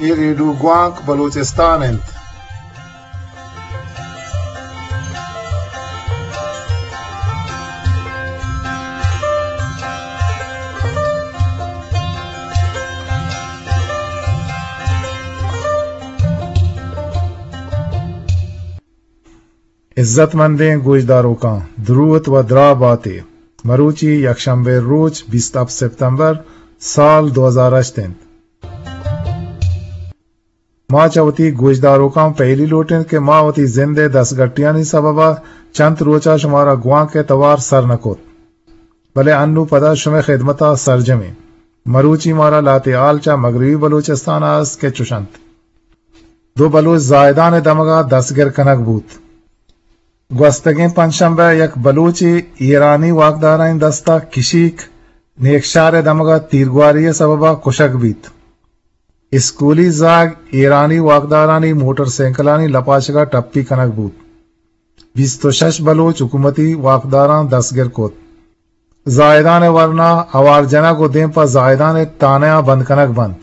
اے ریڈیو گوانک بلوچستان انت۔ عزت مندیں گوشداروکاں، دروت و دراہ باتے۔ مروچی یکشنبے روچ بیست ہپت سپتمبر سال دو ہزار ہشت انت۔ ما چہ وتی گوشداروکاں پہلی لوٹیں کہ ما وتی زند ء دستگٹیانی سبب ء چنت روچ ء شمارا گوانک ء توار سر نہ کت، بلے انو پدا شمئے خدمت ء سرجمیں۔ مروچی مارا لہتے حال چہ مغربی بلوچستان ء است کہ چش انت۔ دو بلوچ زاہدان ء دمگ ء دستگر کنگ بوت۔ گوستگیں پنچشنبہ ء یک بلوچے ایرانی واکدارانی دست ء کشیک نیکشار ء دمگ ء تیرگواری ء سبب ء کشگ بیت۔ اسکولی زاگ ایرانی واکدارانی موٹر سائیکلانی لپاشگ ء ٹپی کنگ بوت۔ بیست و شش بلوچ حکومتی واکداراں دستگر کت۔ زاہدان ء ورنا ہوار جنگ و دیم پہ زاہدان ء تانہ ء بند کنگ بنت۔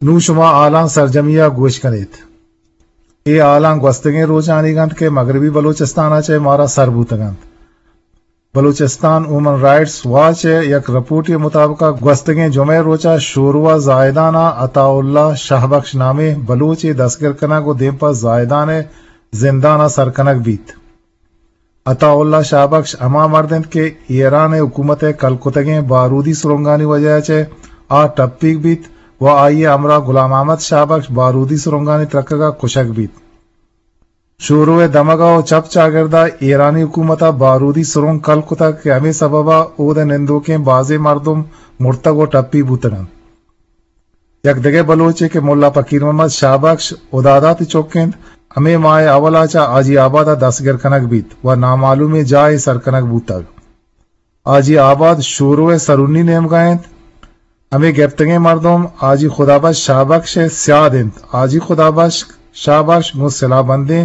نوں شما حالاں سرجمی ء گوش کن ایت۔ اے حالاں گوستگیں روچانیگ انت کہ مغربی بلوچستان ء چہ مارا سر بوتگ انت۔ بلوچستان ہیومن رائٹس واچ ء یک رپورٹے مطابق ء گوستگیں جمعہ ء روچ ء شورو ء زاہدان ء عطا اللہ شاہ بخش نامیں بلوچے دستگر کنگ و دیم پہ زاہدان ء زندان ء سر کنگ بیت۔ عطا اللہ شاہ بخش ہما مرد انت کہ ایران ء حکومت ء کل کتگیں بارودی سرنگانی وجہ ء چہ آ ٹپیگ بیت و آئی ء ہمراہ غلام احمد شاہ بخش بارودی سرنگانی ترکگ ء کشگ بیت۔ شورو ء دمگ ء و چپ چاگرد ء ایرانی حکومت ء بارودی سرنگ کل کتگ کہ ہمے سبب ء اود ء نندوکیں بازیں مردم مرتگ و ٹپی بوتگ انت۔ یک دگہ بلوچے کہ ملا پکیر محمد شاہ بخش ہدادات ء چک انت، ہمے ماہ ء اول ء چہ حاجی آباد ء دستگر کنگ بیت و نامعلومیں جاہے سر کنگ بوتگ۔ حاجی آباد شورو ء سرونی نیمگ ء انت۔ ہمے گپتگیں مردم حاجی خدا بخش شاہ بخش ء سیاد انت۔ حاجی خدا بخش شاہ بخش گوں سلاہ بندیں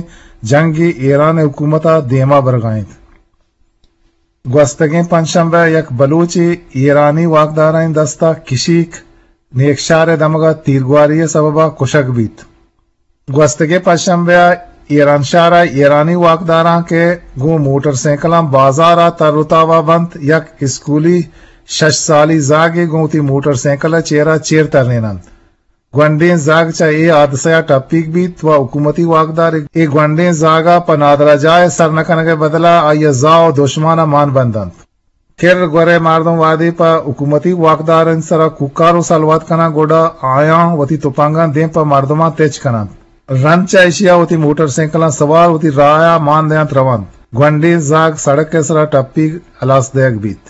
جنگے ایران ء حکومت ء دیما برگ ء انت۔ گوستگیں پنچشنبہ ء یک بلوچے ایرانی واکدارانی دست ء کشیک نیکشار ء دمگ ء تیرگواری ء سبب ء کشگ بیت۔ گوستگیں پنچشنبہ ء ایرانشہر ء ایرانی واکداراں کہ گوں موٹر سائیکلاں بازار ء تر و تاب ء بنت، یک اسکولی شش سالی زاگے گوں وتی موٹر سائیکل ء چیر ء چیر تریننت۔ گونڈیں زاگ چہ اے حادثہ ء ٹپیگ بیت و حکومتی واکدار اے گونڈیں زاگ ء پہ نادراہ جاہ ء سر نہ کنگ ء بدل ء آئی ء زاہ و دشمان ء مان بندنت۔ کر گورے مردم وہدے پہ حکومتی واکدارانی سرا کوکار و سلوات کناں، گڈا آیاں وتی تپنگاں دیم پہ مردماں تچ کننت۔ رند چہ ایشی ء وتی موٹر سائیکلاں سوار وتی راہ ء مان دینت رونت۔ گونڈیں زاگ سڑک ء سرا ٹپیگ ہلاس دئیگ بیت۔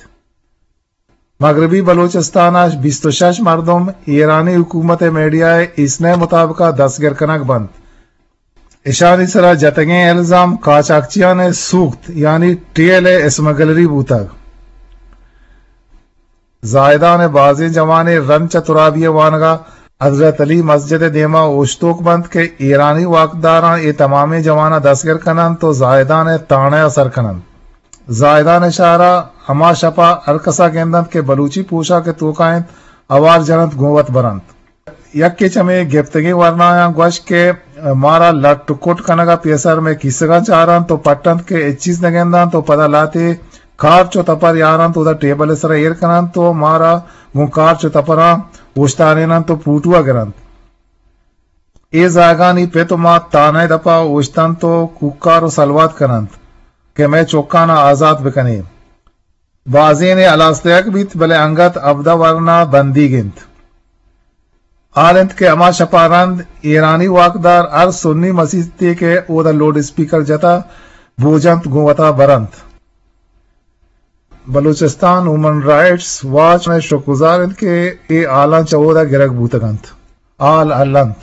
مغربی بلوچستان ء بیست و شش مردم ایرانی حکومت ء میڈیا ء ایسنہ ء مطابق ء دستگر کنگ بنت۔ اشانی سرا جتگیں الزام قاچاقچیان ء سوخت یعنی ٹیل ء اسمگلری بوتگ۔ زاہدان ء بازیں جوانے رند چہ ترابی ء وانگ ء حضرت علی مسجد ء دیما اوشتوک بنت کہ ایرانی واکداراں اے تمامیں جواناں دستگر کننت و زاہدان ء تانہ ء سر کننت۔ زاہدان ء شہر ء ہما شپ ء ہر کس ء گندنت کہ بلوچی پوشاک ء توکا انت، ہوار جننت گوں وت برنت۔ یکے چہ مئے گپتگیں ورنایاں گوشت کہ مارا لٹ و کٹ کنگ ء پیسر مئے کیسگاں چارنت و پٹنت کہ ہچ چیز نہ گندنت و پدا لہتے کارچ و تپر یارنت، اودا ٹیبل ء سرا ایر کننت و مارا گوں کارچ و تپراں اوشتاریننت و پوٹو ء گرنت۔ اے زاگانی پت و مات تانہ ء دپا اوشتنت و کوکار و سلوات کننت کہ مئے چکاناں آزات بکنے۔ بازینے ہلاس دیگ بیت، بلے انگت ہبدہ ورنا بندیگ انت۔ حال انت کہ ہما شپا رند ایرانی واکدار ہر سنی مسیتے کہ اودا لوڈ اسپیکر جتا بوجنت گوں وتا برنت۔ بلوچستان ہیومن رائٹس واچ ء شکرگزار انت کہ اے حالاں چہ اودا گرگ بوتگ انت۔ حال ہلنت۔